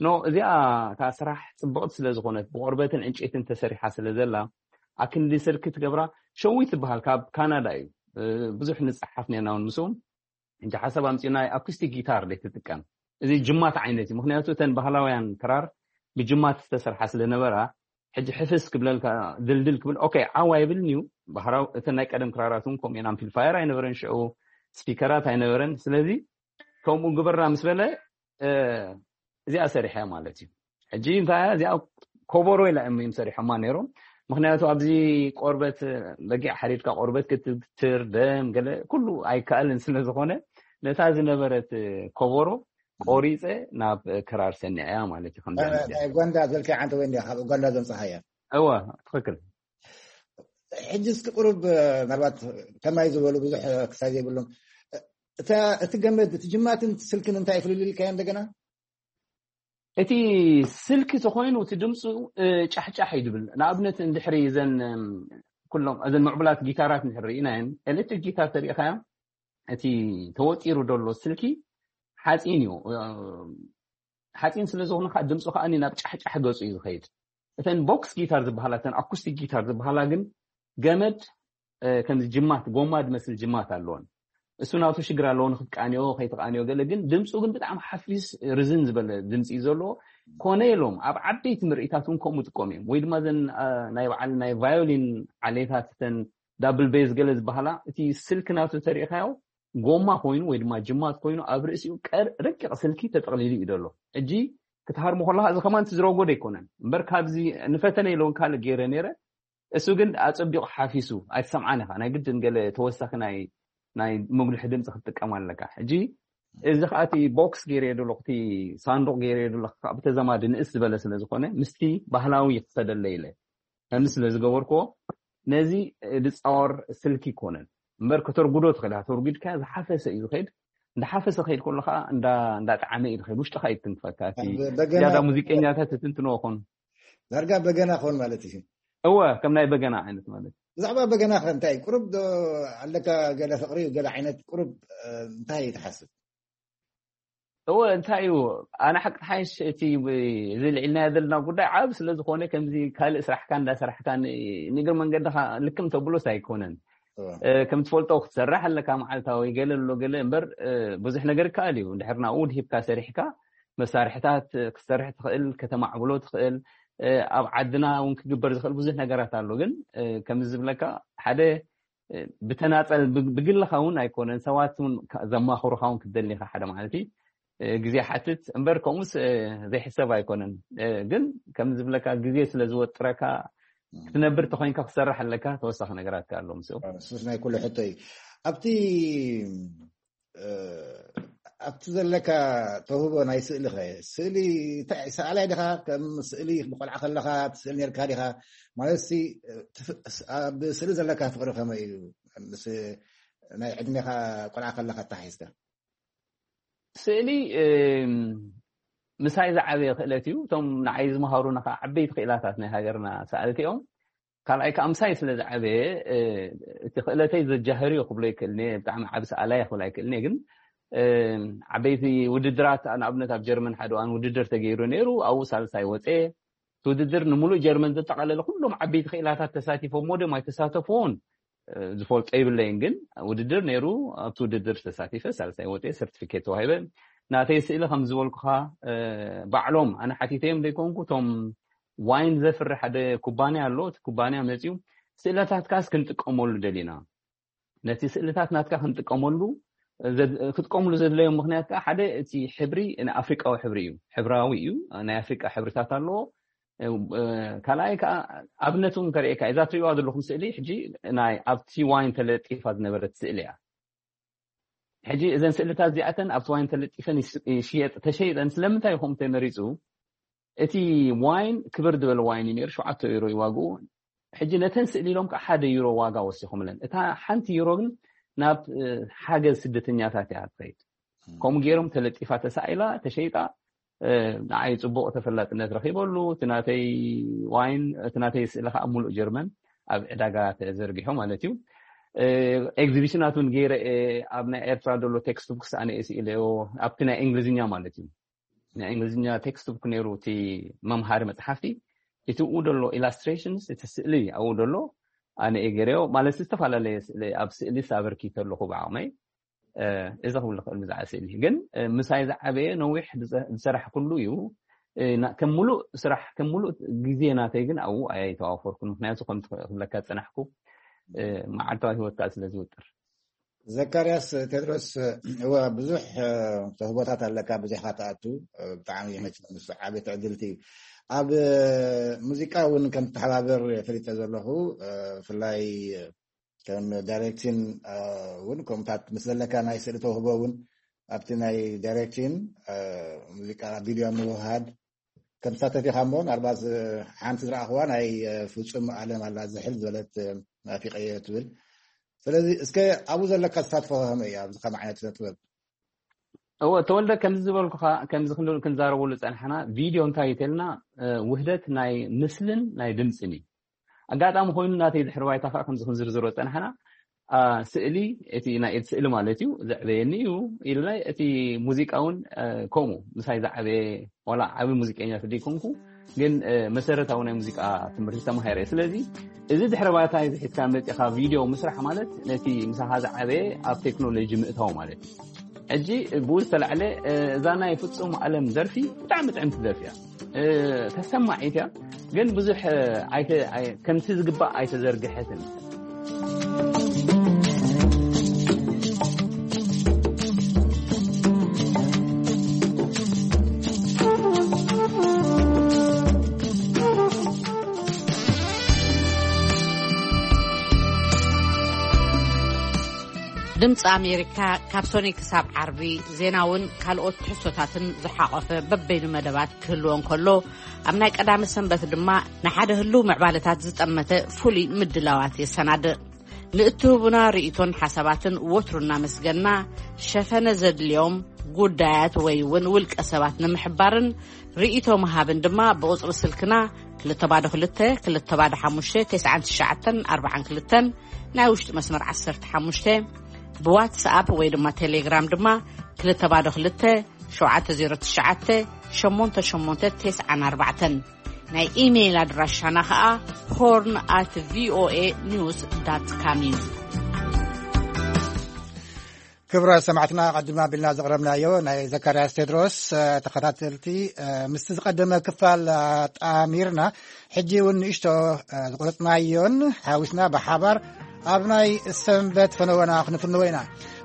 ኖ፣ እዚኣ እታ ስራሕ ጽብቕቲ ስለ ዝኾነት፣ ብቆርበትን ዕንጨይትን ተሰሪሓ ስለ ዘላ፣ ኣክንዲ ስልኪ ትገብራ። ሸዊት ትበሃል፣ ካብ ካናዳ እዩ። ብዙሕ ንጸሓፍ ነርና እውን ምስኡ። እንጂ ሓሳብ ኣምጺኡ ናይ ኣኩስቲክ ጊታር ደይ ትጥቀም። እዚ ጅማት ዓይነት እዩ። ምክንያቱ እተን ባህላውያን ክራር ብጅማት ዝተሰርሓ ስለ ነበራ፣ ሕጂ ሕፍስ ክብለልካ፣ ድልድል ክብል፣ ኦኬ፣ ዓው ኣይብልን እዩ። ባህራው፣ እተን ናይ ቀደም ክራራት እውን ከምኡ እየን። ኣምፕሊፋየር ኣይነበረን ሽዑ፣ ስፒከራት ኣይነበረን። ስለዚ ከምኡ ግበራ ምስ በለ፣ እዚኣ ሰሪሐ ማለት እዩ። ሕጂ እንታይ እያ እዚኣ? ኮቦሮ ኢላ እዮም ሰሪሖማ ነይሮም። ምክንያቱ ኣብዚ ቆርበት፣ በጊዕ ሓሪድካ ቆርበት ክትትር፣ ደም፣ ገለ ኩሉ ኣይከኣልን ስለ ዝኾነ፣ ነታ ዝነበረት ኮቦሮ ቆሪፀ ናብ ክራር ሰኒዐያ ማለት እዩ። ከምዚ ዓይነት ናይ ኡጋንዳ ዘልካ ዓንተ ወይ እንዲያ ካብ ኡጋንዳ ዘምፀኻያ? እወ፣ ትኽክል። ሕጂ እስኪ ቁሩብ፣ ምናልባት ከማይ ዝበሉ ብዙሕ ክሳይ ዘይብሎም፣ እታ፣ እቲ ገመድ፣ እቲ ጅማትን ስልክን እንታይ ፍልልይ ኢልካዮ እንደገና? እቲ ስልኪ ተኾይኑ እቲ ድምፁ ጫሕጫሕ እዩ ድብል። ንኣብነት እንድሕሪ እዘን ኩሎም እዘን ምዕቡላት ጊታራት እንድሕሪ ርኢናየን፣ ኤሌክትሪክ ጊታር ተሪኢኻዮ፣ እቲ ተወጢሩ ዘሎ ስልኪ ሓፂን እዩ። ሓፂን ስለ ዝኾነ ከዓ ድምፁ ከዓ ናብ ጫሕጫሕ ገፁ እዩ ዝኸይድ። እተን ቦክስ ጊታር ዝበሃላ፣ እተን ኣኩስቲክ ጊታር ዝበሃላ ግን ገመድ ከምዚ ጅማት፣ ጎማ ዝመስል ጅማት ኣለዎን። እሱ ናቱ ሽግር ኣለዎ፣ ንክትቃንዮ ከይትቃንዮ ገለ። ግን ድምፁ ግን ብጣዕሚ ሓፊስ፣ ርዝን ዝበለ ድምፂ እዩ ዘለዎ። ኮነ ኢሎም ኣብ ዓበይቲ ምርኢታት እውን ከምኡ ጥቀሙ እዮም። ወይ ድማ ዘን ናይ በዓል ናይ ቫዮሊን ዓሌታት፣ እተን ዳብል ቤዝ ገለ ዝበሃላ፣ እቲ ስልኪ ናቱ ተሪኢኻዮ ጎማ ኮይኑ ወይ ድማ ጅማት ኮይኑ ኣብ ርእሲኡ ረቂቕ ስልኪ ተጠቕሊሉ እዩ ዘሎ። ሕጂ ክትሃርሞ ከለካ እዚ ከማን ትዝረጎ ኣይኮነን እምበር፣ ካብዚ ንፈተነ ኢለውን ካልእ ገይረ ነይረ። እሱ ግን ኣጸቢቑ ሓፊሱ ኣይትሰምዓን ኢኻ። ናይ ግድን ገለ ተወሳኺ ናይ ናይ መጉልሒ ድምፂ ክትጥቀም ኣለካ። ሕጂ እዚ ከዓ እቲ ቦክስ ገይረዮ ዘለኹ፣ እቲ ሳንዱቕ ገይረዮ ዘለኹ ከዓ ብተዛማዲ ንእስ ዝበለ ስለ ዝኾነ ምስቲ ባህላዊ ክኸደለ ኢለ ከምዚ ስለ ዝገበርክዎ ነዚ ድፃወር ስልኪ ይኮነን እምበር ከተርጉዶ ትኽእል ኢኻ። ተርጉድካ ዝሓፈሰ እዩ ዝኸይድ። እንዳሓፈሰ ከይድ ከሎ ከዓ እንዳ እንዳጣዕመ እዩ ዝኸይድ። ውሽጥኻ እዩ ትንክፈካ። እቲ በገና ዝያዳ ሙዚቀኛታት ትትንትንዎ ኾን ዳርጋ በገና ኾን ማለት እዩ። እወ፣ ከም ናይ በገና ዓይነት ማለት። ብዛዕባ በገና ከ እንታይ ቁሩብ ዶ ኣለካ? ገለ ፍቕሪ፣ ገለ ዓይነት ቁሩብ እንታይ ትሓስብ? እወ፣ እንታይ እዩ፣ ኣነ ሓቂ ሓይሽ እቲ እዚ ልዒልናዮ ዘለና ጉዳይ ዓብ ስለ ዝኾነ ከምዚ ካልእ ስራሕካ እንዳሰራሕካ ን- ንእግሪ መንገድኻ ልክም ተብሎስ ኣይኮነን። እወ። እ፣ ከም ትፈልጦ ክትሰርሕ ኣለካ መዓልታዊ ገለ ኣሎ ገለ እምበር፣ እ፣ ብዙሕ ነገር ይከኣል እዩ። እንድሕር ናብኡ ድሂብካ ሰሪሕካ መሳርሕታት ክትሰርሕ ትኽእል፣ ከተማዕብሎ ትኽእል። እ፣ ኣብ ዓድና እውን ክግበር ዝኽእል ብዙሕ ነገራት ኣሎ። ግን፣ እ፣ ከምዚ ዝብለካ ሓደ ብተናፀል ብግልኻ እውን ኣይኮነን፣ ሰባት እውን ዘማኽሩኻ እውን ክትደሊኻ ሓደ ማለት እዩ። ግዜ ሓትት እምበር ከምኡስ ዘይሕሰብ ኣይኮነን። ግን ከም ዝብለካ ግዜ ስለ ዝወጥረካ ክትነብር ተኮይንካ ክሰርሕ ኣለካ። ተወሳኺ ነገራት ኣሎ ምስኡ። ሱስ ናይ ኩሉ ሕቶ እዩ። ኣብቲ ኣብቲ ዘለካ ተውህቦ ናይ ስእሊ ኸ? ስእሊ እንታይ፣ ሰኣላይ ዲኻ? ከም ስእሊ ብቆልዓ ከለኻ ትስእል ነርካ ዲኻ? ማለት ሲ ኣብ ስእሊ ዘለካ ፍቅሪ ከመይ እዩ? ምስ ናይ ዕድሜኻ ቆልዓ ከለኻ ኣተሓሒዝካ? ስእሊ ምሳይ ዝዓበየ ክእለት እዩ። እቶም ንዓይ ዝመሃሩና ከዓ ዓበይቲ ክእላታት ናይ ሃገርና ሰኣልቲ እዮም። ካልኣይ ከዓ ምሳይ ስለ ዝዓበየ እቲ ክእለተይ ዘጃህር እዩ ክብሎ ይክእልኒ። ብጣዕሚ ዓብ ሰኣላይ ክብል ኣይክእልኒ። ግን ዓበይቲ ውድድራት ንኣብነት ኣብ ጀርመን ሓደ እዋን ውድድር ተገይሩ ነይሩ። ኣብኡ ሳልሳይ ወፀ። እቲ ውድድር ንምሉእ ጀርመን ዘጠቃለለ ኩሎም ዓበይቲ ክእላታት ተሳቲፎም፣ ሞደም ኣይተሳተፍዎን ዝፈልጦ ይብለይን። ግን ውድድር ነይሩ። ኣብቲ ውድድር ተሳቲፈ ሳልሳይ ወፀ፣ ሰርቲፊኬት ተዋሂበ። ናተይ ስእሊ ከም ዝበልኩኻ ባዕሎም ኣነ ሓቲተዮም ዘይኮንኩ፣ እቶም ዋይን ዘፍሪ ሓደ ኩባንያ ኣሎ። እቲ ኩባንያ መፅዩ ስእለታትካስ ክንጥቀመሉ ደሊና፣ ነቲ ስእልታት ናትካ ክንጥቀመሉ ክትቀምሉ ዘድለዮም ምክንያት ከዓ ሓደ እቲ ሕብሪ ኣፍሪቃዊ ሕብሪ እዩ፣ ሕብራዊ እዩ፣ ናይ ኣፍሪቃ ሕብርታት ኣለዎ። ካልኣይ ከዓ ኣብነት እውን ከርእየካ፣ እዛ ትሪእዋ ዘለኹም ስእሊ ሕጂ ናይ ኣብቲ ዋይን ተለጢፋ ዝነበረት ስእሊ እያ። ሕጂ እዘን ስእልታት እዚኣተን ኣብቲ ዋይን ተለጢፈን ይሽየጥ ተሸይጠን ስለምንታይ ይኹም ተመሪፁ? እቲ ዋይን ክብር ዝበለ ዋይን እዩ ነይሩ፣ ሸውዓተ ዩሮ እዩ ዋግኡ። ሕጂ ነተን ስእሊ ኢሎም ከዓ ሓደ ዩሮ ዋጋ ወሲኹምለን። እታ ሓንቲ ዩሮ ግን ናብ ሓገዝ ስደተኛታት እያ ትኸይድ። ከምኡ ገይሮም ተለጢፋ ተሳኢላ ተሸይጣ። ንዓይ ፅቡቅ ተፈላጥነት ረኪበሉ። እቲ ናተይ ዋይን፣ እቲ ናተይ ስእሊ ከዓ ኣብ ሙሉእ ጀርመን ኣብ ዕዳጋ ተዘርጊሑ ማለት እዩ። ኤግዚቢሽናት እውን ገይረ እየ። ኣብ ናይ ኤርትራ ዘሎ ቴክስት ቡክስ ኣነ እየ ስኢለዮ፣ ኣብቲ ናይ እንግሊዝኛ ማለት እዩ። ናይ እንግሊዝኛ ቴክስት ቡክ ነይሩ፣ እቲ መምሃሪ መፅሓፍቲ። እቲ ኡ ደሎ ኢላስትሬሽንስ፣ እቲ ስእሊ ኣብኡ ደሎ ኣነ እየ ገይረዮ ማለት፣ ዝተፈላለየ ስእሊ፣ ኣብ ስእሊ ኣበርኪተ ኣለኹ ብዓቕመይ። እዚ ክብል ዝኽእል ብዛዕባ ስእሊ ግን ምሳይ ዝዓበየ ነዊሕ ዝሰራሕኩሉ እዩ። ከም ሙሉእ ስራሕ፣ ከም ሙሉእ ግዜ ናተይ ግን ኣብኡ ኣይተዋፈርኩን። ምክንያቱ ከምቲ ክብለካ ዝፀናሕኩ መዓልታዊ ሂወትካ ስለ ዝውጥር። ዘካርያስ ቴድሮስ፣ እወ ብዙሕ ተህቦታት ኣለካ፣ ብዙሕካ ትኣቱ። ብጣዕሚ መቸም ምስ ዓቢ ትዕድልቲ እዩ። ኣብ ሙዚቃ እውን ከም ትተሓባበር ፈሊጠ ዘለኹ፣ ብፍላይ ከም ዳይሬክቲን እውን ከምታት ምስ ዘለካ ናይ ስእሊ ተውህቦ እውን ኣብቲ ናይ ዳይሬክቲን ሙዚቃ ቪድዮ ምውሃድ ከም ትሳተፍ ኢኻ እሞ፣ ናርባስ ሓንቲ ዝረኣኽዋ ናይ ፍጹም ኣለም ኣላ ዝሕል ዝበለት ናፊቀዮ ትብል። ስለዚ እስከ ኣብኡ ዘለካ ተሳትፎ ከመይ እዩ ኣብዚ ከም ዓይነት ስነ ጥበብ? እወ ተወልደ፣ ከምዚ ዝበልኩኻ፣ ከምዚ ክንብል ክንዛረበሉ ጸንሓና፣ ቪድዮ እንታይ እዩ ተልና፣ ውህደት ናይ ምስልን ናይ ድምፅን እዩ። ኣጋጣሚ ኮይኑ ናተይ ድሕሪ ባይታ ከዓ ከምዚ ክንዝርዝሮ ጸንሓና፣ ስእሊ፣ እቲ ናይ ኢድ ስእሊ ማለት እዩ፣ ዘዕበየኒ እዩ ኢልና፣ እቲ ሙዚቃ እውን ከምኡ ምሳይ ዝዓበየ፣ ዋላ ዓቢ ሙዚቀኛ ተደይኮንኩ፣ ግን መሰረታዊ ናይ ሙዚቃ ትምህርቲ ተማሂረ። ስለዚ እዚ ድሕሪ ባይታ እዚ ሒዝካ መጺኻ ቪድዮ ምስራሕ ማለት ነቲ ምሳኻ ዝዓበየ ኣብ ቴክኖሎጂ ምእታው ማለት እዩ። ሕጂ ብኡ ዝተላዕለ እዛ ናይ ፍጹም ኣለም ደርፊ ብጣዕሚ ጥዕምቲ ደርፊ እያ። ተሰማዒት እያ፣ ግን ብዙሕ ከምቲ ዝግባእ ኣይተዘርግሐትን። ድምፂ ኣሜሪካ ካብ ሶኒ ክሳብ ዓርቢ ዜናውን ካልኦት ትሕዝቶታትን ዝሓቆፈ በበይኑ መደባት ክህልዎ እንከሎ፣ ኣብ ናይ ቀዳመ ሰንበት ድማ ንሓደ ህሉው ምዕባለታት ዝጠመተ ፍሉይ ምድላዋት የሰናድእ። ንእትህቡና ርእይቶን ሓሳባትን ወትሩ እናመስገና፣ ሸፈነ ዘድልዮም ጉዳያት ወይ እውን ውልቀ ሰባት ንምሕባርን ርእይቶ ምሃብን ድማ ብቁጽሪ ስልክና ክልተ ባዶ ክልተ ክልተ ባዶ ሓሙሽተ ተስዓን ትሽዓተን ኣርባዓን ክልተን ናይ ውሽጢ መስመር ዓሰርተ ሓሙሽተ፣ ብዋትስኣፕ ወይ ድማ ቴሌግራም ድማ ክልተ ባዶ ክልተ ሸውዓተ ዜሮ ትሽዓተ ሸሞንተ ሸሞንተ ተስዓን ኣርባዕተን። ናይ ኢሜይል ኣድራሻና ኸኣ ሆርን ኣት ቪኦኤ ኒውስ ዳት ካም እዩ። ክቡራት ሰማዕትና፣ ኣቐዲምና ኣቢልና ዘቕረብናዮ ናይ ዘካርያስ ቴድሮስ ተኸታተልቲ ምስቲ ዝቐደመ ክፋል ኣጣሚርና፣ ሕጂ እውን ንእሽቶ ዝቆረጽናዮን ሓዊስና ብሓባር ኣብ ናይ ሰንበት ፈነወና ክንፍንዎ ኢና።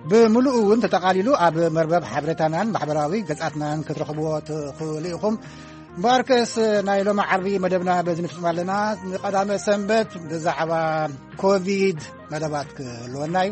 ብምሉኡ እውን ተጠቓሊሉ ኣብ መርበብ ሓበሬታናን ማሕበራዊ ገጻትናን ክትረኽብዎ ትኽእሉ ኢኹም። እምበኣርከስ ናይ ሎሚ ዓርቢ መደብና በዚ ንፍጽም ኣለና። ንቐዳመ ሰንበት ብዛዕባ ኮቪድ መደባት ክህልወና እዩ።